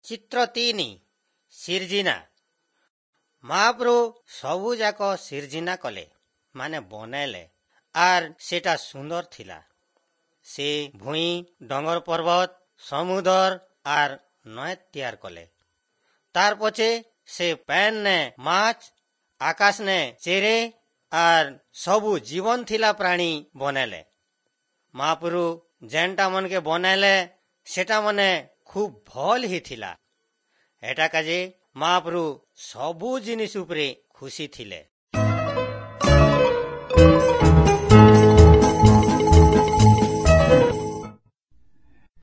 ଚିତ୍ର 3, ସିର୍ଜିନା। ମହାପ୍ରଭୁ ସବୁଯାକ ସିର୍ଜିନା କଲେ, ମାନେ ବନେଇଲେ, ଆର୍ ସେଟା ସୁନ୍ଦର ଥିଲା। ସେ ଭୂଇଁ, ଡଙ୍ଗର, ପର୍ବତ, ସମୁଦର ଆର୍ ନଏ ତିଆର କଲେ। ତାର ପଛେ ସେ ପ୍ୟାନ୍ ନେ ମାଛ, ଆକାଶ ନେ ଚେରେ ଆର୍ ସବୁ ଜୀବନ ଥିଲା ପ୍ରାଣୀ ବନେଇଲେ। ମହାପ୍ରଭୁ ଯେନ୍ଟା ମନକେ ବନେଇଲେ ସେଟା ମାନେ ଖୁବ ଭଲ ହେଇଥିଲା। ଏଟା କାଜେ ମହାପ୍ରଭୁ ସବୁ ଜିନିଷ ଉପରେ ଖୁସି ଥିଲେ।